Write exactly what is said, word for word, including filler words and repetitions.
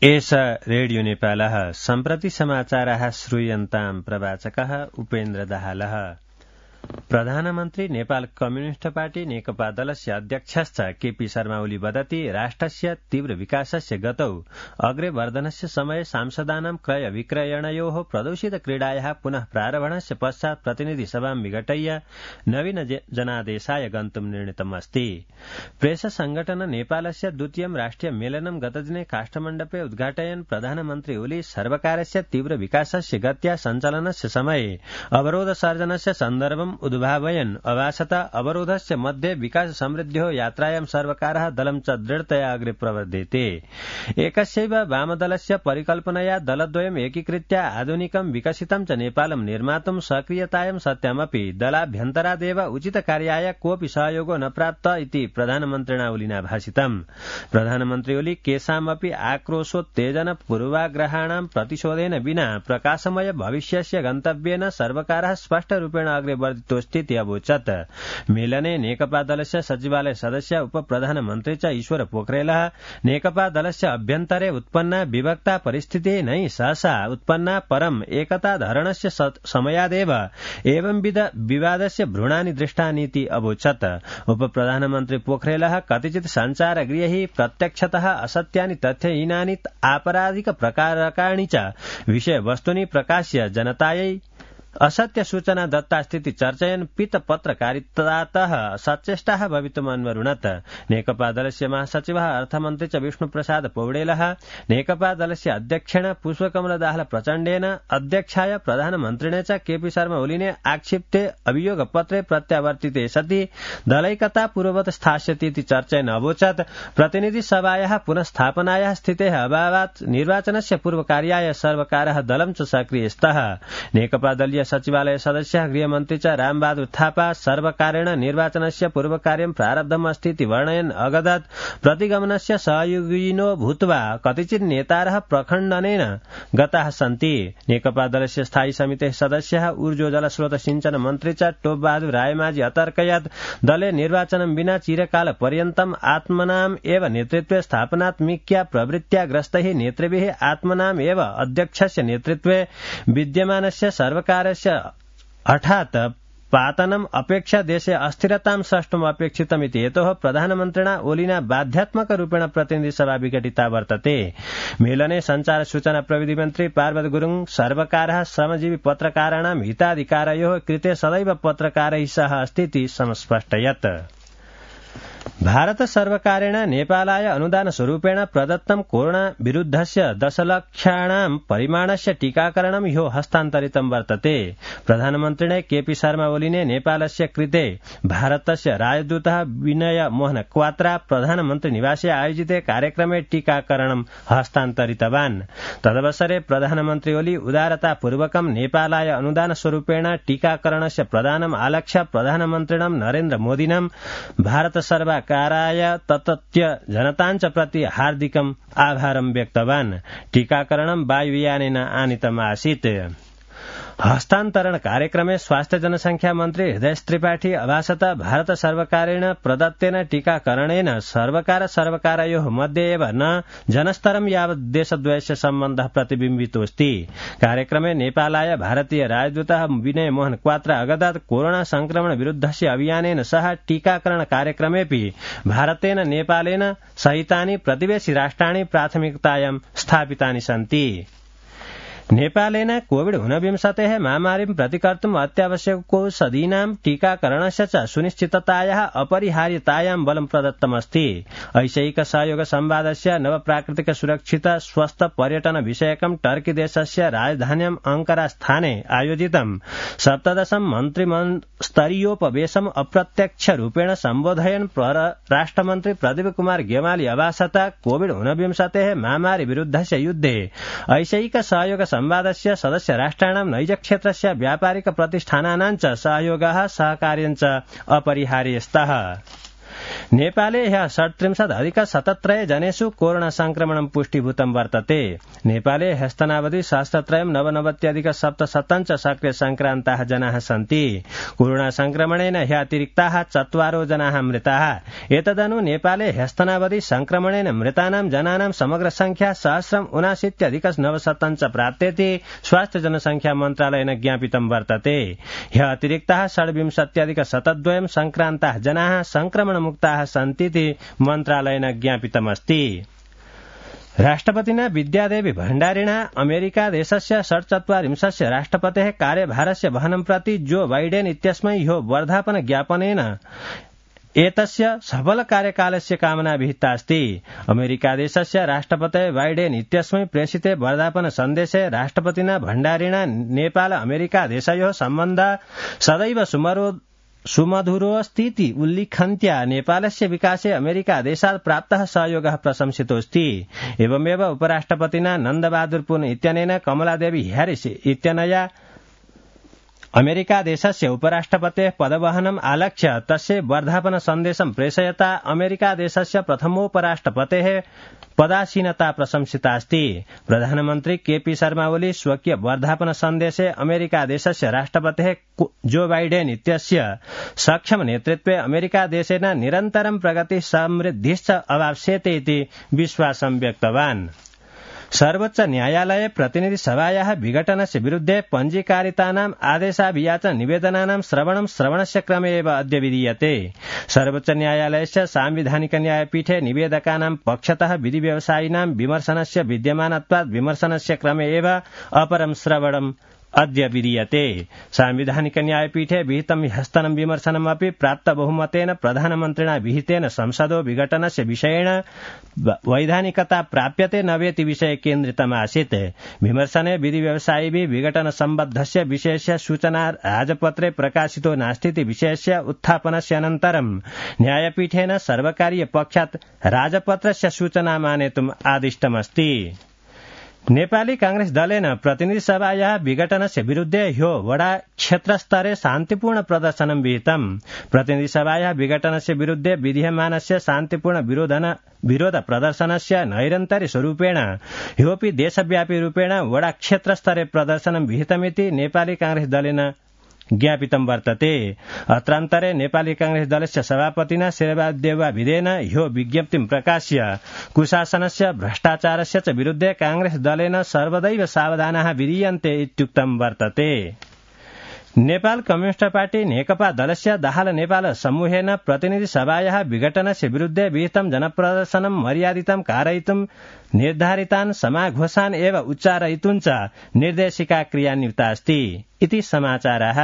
एष रेडियो नेपालः सम्प्रति समाचाराः श्रूयन्ताम् प्रवाचकः उपेन्द्र दाहालः। प्रधानमन्त्री नेपाल कम्युनिस्ट पार्टी नेकपा दलस्य अध्यक्षश्च केपी शर्मा ओली वदति राष्ट्रस्य तीव्र विकासस्य गतौ अग्रे वर्धनस्य समये सांसदानां क्रय विक्रयणयोः प्रदूषित क्रीडायाः पुनः प्रारम्भणस्य पश्चात् प्रतिनिधि सभां विघटय्य नवीन जनादेशाय गन्तुं निर्णीतमस्ति। प्रेस संगठन नेपालस्य द्वितीयं राष्ट्रिय मेलनं गतदिने काष्ठमण्डपे उद्घाटयन् प्रधानमन्त्री ओली सर्वकारस्य तीव्र विकासस्य गत्या सञ्चालनस्य समये अवरोध सर्जनस्य सन्दर्भम् उद्भावयन् अवासता अवरोधस्य मध्ये विकास समृद्ध्योः यात्रायां सर्वकारः दलं च दृढतया अग्रे प्रवर्धेते। एकस्यैव वामदलस्य परिकल्पनया दलद्वयम् एकीकृत्य आधुनिकं विकसितं च नेपालं निर्मातुं सक्रियतायां सत्यमपि दलाभ्यन्तरादेव उचित कार्याय कोऽपि सहयोगो न प्राप्त इति प्रधानमन्त्रिणा ओलिना भाषितम्। प्रधानमन्त्री ओली केषामपि आक्रोशोत्तेजन पूर्वाग्रहाणां प्रतिशोधेन विना प्रकाशमय भविष्यस्य गन्तव्येन सर्वकारः स्पष्टरूपेण अग्रे वर्धितोऽस्तीति अवोचत्। मेलने नेकपा दलस्य सचिवालय सदस्य उप प्रधानमन्त्री च ईश्वर पोखरेलः नेकपा दलस्य अभ्यन्तरे उत्पन्ना विभक्ता परिस्थितिः नै सहसा उत्पन्ना परम् एकता धरणस्य समयादेव एवंविध विवादस्य भ्रूणानि दृष्टानीति अवोचत्। उप प्रधानमन्त्री पोखरेलः कतिचित् सञ्चारगृहैः प्रत्यक्षतः असत्यानि तथ्यहीनानि आपराधिक प्रकारकाणि च विषयवस्तूनि प्रकाश्य जनतायै असत्य सूचना दत्तास्तीति चर्चयन् पीत पत्रकारितातः सचेष्टाः भवितुम् अन्वरुणत्। नेकपा दलस्य महासचिवः अर्थमन्त्री च विष्णुप्रसाद पौडेलः नेकपा दलस्य अध्यक्षेण पुष्पकमल दाहाल प्रचण्डेन अध्यक्षाय प्रधानमन्त्रिणे च केपी शर्मा ओलीने आक्षिप्ते अभियोगपत्रे प्रत्यावर्तिते सति दलैकता पूर्ववत् स्थास्यतीति चर्चयन् अवोचत्। प्रतिनिधि सभायाः पुनस्थापनायाः स्थितेः अभावात् निर्वाचनस्य पूर्वकार्याय सर्वकारः दलं च सक्रिय स्तः। नेकपा दलीय सचिवालय सदस्यः गृहमन्त्री च रामबहादुर थापा सर्वकारेण निर्वाचनस्य पूर्वकार्यं प्रारब्धमस्ति इति वर्णयन् अगदत् प्रतिगमनस्य सहयोगिनो भूत्वा कतिचित् नेतारः प्रखण्डनेन गताः सन्ति। नेकपा दलस्य स्थायी समितेः सदस्यः ऊर्जो जलस्रोत सिंचन मन्त्री च टोप बहादुर रायमाझी अतर्कयत् दले निर्वाचनं विना चिरकाल पर्यन्तम् आत्मनाम् एव नेतृत्वे स्थापनात्मिक्या प्रवृत्त्या ग्रस्तैः नेतृभिः आत्मनाम् एव अध्यक्षस्य नेतृत्वे विद्यमानस्य सर्वकार हठात् पातनम् अपेक्षा देशे अस्थिरतां सृष्टुम् अपेक्षितमिति हेतोः प्रधानमन्त्रिणा ओलिना बाध्यात्मकरूपेण प्रतिनिधिसभा विघटिता वर्तते। मेलने संचार सूचना प्रविधि मन्त्री पार्वत गुरुङ सर्वकारः श्रमजीवी पत्रकाराणां हिताधिकारयोः कृते सदैव पत्रकारैः सह अस्ति इति समस्पष्टयत्। भारत सर्वकारेण नेपालाय अनुदान स्वरूपेण प्रदत्तं कोरोना विरुद्धस्य दशलक्षाणां परिमाणस्य टीकाकरणं ह्यो हस्तान्तरितं वर्तते। प्रधानमन्त्रिणे केपी शर्मा ओलीने नेपालस्य कृते भारतस्य राजदूतः विनय मोहन क्वात्रा प्रधानमन्त्री निवासे आयोजिते कार्यक्रमे टीकाकरणं हस्तान्तरितवान्। तदवसरे प्रधानमन्त्री ओली उदारतापूर्वकं नेपालाय अनुदान स्वरूपेण टीकाकरणस्य प्रदानम् आलक्ष्य प्रधानमन्त्रिणं नरेन्द्र मोदिनं भारत सर्व काराय ततत्य जनताञ्च प्रति हार्दिकम् आभारं व्यक्तवान्। टीकाकरणं वायुयानेन आनीतम् आसीत्। हस्तान्तरण कार्यक्रमे स्वास्थ्य जनसंख्या मन्त्री हृदय त्रिपाठी अभासत भारत सर्वकारेण प्रदत्तेन टीकाकरणेन सर्वकार सर्वकारयोः मध्ये एव न जनस्तरं यावत् देशद्वयस्य सम्बन्धः प्रतिबिम्बितोऽस्ति। कार्यक्रमे नेपालाय भारतीय राजदूतः विनय मोहन क्वात्रा अगदत् कोरोना संक्रमण विरुद्धस्य अभियानेन सह टीकाकरण कार्यक्रमेऽपि भारतेन नेपालेन सहितानि प्रतिवेशि राष्ट्राणि प्राथमिकतायां स्थापितानि सन्ति। नेपालेन कोविड ऊनविंशतेः महामारीं प्रतिकर्तुम् अत्यावश्यकौषधीनां टीकाकरणस्य च सुनिश्चिततायाः अपरिहार्यतायां बलं प्रदत्तमस्ति। ऐशैक सहयोग संवादस्य नवप्राकृतिक सुरक्षित स्वस्थ पर्यटन विषयकं टर्की देशस्य राजधान्याम् अंकारा स्थाने आयोजितं सप्तदशं मन्त्रिस्तरीयोपवेशम् अप्रत्यक्ष रूपेण सम्बोधयन् परराष्ट्रमन्त्री प्रदीप कुमार गेवाली अभासत कोविड ऊनविंशतेः महामारी विरुद्धस्य युद्धे ऐशैक सहयोग संवादस्य सदस्य राष्ट्राणां नैजक्षेत्रस्य व्यापारिक प्रतिष्ठानानां च सहयोगः सहकार्यं च अपरिहार्यस्तः। नेपाले ह्यः षट्त्रिंशदधिक शतत्रय जनेषु कोरोना संक्रमणं पुष्टीभूतं वर्तते। नेपाले ह्यस्तनावधि सहस्रत्रयं नवनवत्यधिक सप्तशतं च सक्रिय संक्रान्ताः जनाः सन्ति। कोरोना संक्रमणेन ह्यतिरिक्ताः चत्वारो जनाः मृताः। एतदनु नेपाले ह्यस्तनावधि संक्रमणेन मृतानां जनानां समग्र संख्या सहस्रम् उनाशीत्यधिक नवशतं च प्राप्तेति स्वास्थ्य जनसंख्या मन्त्रालयेन ज्ञापितं वर्तते। ह्य अतिरिक्ताः षड्विंशत्यधिक शतद्वयं संक्रान्ताः जनाः संक्रमणमुक्ताः सन्तीति मन्त्रालयेन ज्ञापितमस्ति। राष्ट्रपतिना विद्यादेवी भण्डारिणा अमेरिका देशस्य षट्चत्वारिंशस्य राष्ट्रपतेः कार्यभारस्य वहनं प्रति जो बाइडेन इत्यस्मै ह्यो वर्धापन ज्ञापनेन एतस्य सफल कार्यकालस्य कामना विहिता अस्ति। अमेरिका देशस्य राष्ट्रपते बाइडेन इत्यस्मै प्रेषिते वर्धापन सन्देशे राष्ट्रपतिना भण्डारिणा नेपाल अमेरिका देशयोः सम्बन्धः सदैव सुमरो सुमधुरोऽस्तीति उल्लिखन्त्या नेपालस्य विकासे अमेरिका देशात् प्राप्तः सहयोगः प्रशंसितोऽस्ति। एवमेव उपराष्ट्रपतिना नन्दबहादुर पुन इत्यनेन कमलादेवी ह्यारिस इत्यनया अमेरिका देशस्य उपराष्ट्रपतेः पदवहनम् आलक्ष्य तस्य वर्धापन सन्देशं प्रेषयता अमेरिका देशस्य प्रथमोपराष्ट्रपतेः पदासीनता प्रशंसिता अस्ति। प्रधानमन्त्री केपी शर्मा ओली स्वकीय वर्धापन सन्देशे अमेरिका देशस्य राष्ट्रपतेः जो बाइडेन इत्यस्य सक्षम नेतृत्वे अमेरिका देशेन निरन्तरं प्रगति समृद्धिश्च अवाप्स्यते इति विश्वासं व्यक्तवान्। सर्वोच्च न्यायालये प्रतिनिधि सभायाः विघटनस्य विरुद्धे पञ्जीकारितानाम् आदेशाभियाचन निवेदनानां श्रवणं श्रवणस्य क्रमे एव अद्य विधीयते। सर्वोच्च न्यायालयस्य सांविधानिक न्यायपीठे निवेदकानां पक्षतः विधि व्यवसायिनां विमर्शनस्य विद्यमानत्वात् विमर्शनस्य क्रमे एव अपरं श्रवणम् अद्य विधीयते। सांविधानिक न्यायपीठे विहितं ह्यस्तनं विमर्शनमपि प्राप्त बहुमतेन प्रधानमन्त्रिणा विहितेन संसदो विघटनस्य विषयेण वैधानिकता प्राप्यते न वेति विषये केन्द्रितमासीत्। विमर्शने विधि व्यवसायिभिः विघटन सम्बद्धस्य विषयस्य सूचना राजपत्रे प्रकाशितो नास्तीति विषयस्य उत्थापनस्य अनन्तरं न्यायपीठेन सर्वकारीय पक्षात् राजपत्रस्य सूचना आनेतुम् आदिष्टमस्ति। नेपाली कांग्रेस दलेन प्रतिनिधि सभायाः विघटनस्य विरुद्धे ह्यो वडा क्षेत्रस्तरे शान्तिपूर्ण प्रदर्शनं विहितम्। प्रतिनिधि सभायाः विघटनस्य विरुद्धे विधीयमानस्य शान्तिपूर्ण विरोधन विरोध प्रदर्शनस्य नैरन्तर्य स्वरूपेण ह्योऽपि देशव्यापी रूपेण वडा क्षेत्रस्तरे प्रदर्शनं विहितमिति नेपाली कांग्रेस दलेन ज्ञापितं वर्तते। अत्रान्तरे नेपाली कांग्रेस दलस्य सभापतिना शेरबहादुर देउवाभिदेन ह्यो विज्ञप्तिं प्रकाश्य कुशासनस्य भ्रष्टाचारस्य च विरुद्धे कांग्रेस दलेन सर्वदैव सावधानाः विधीयन्ते इत्युक्तं वर्तते। नेपाल कम्युनिस्ट पार्टी नेकपा दलस्य दाहाल नेपाल समूहेन प्रतिनिधि सभायाः विघटनस्य विरुद्धे विहितं जनप्रदर्शनं मर्यादितं कारयितुं निर्धारितान् समाघोषान् एव उच्चारयितुं च निर्देशिका क्रियान्विता अस्ति इति समाचारः।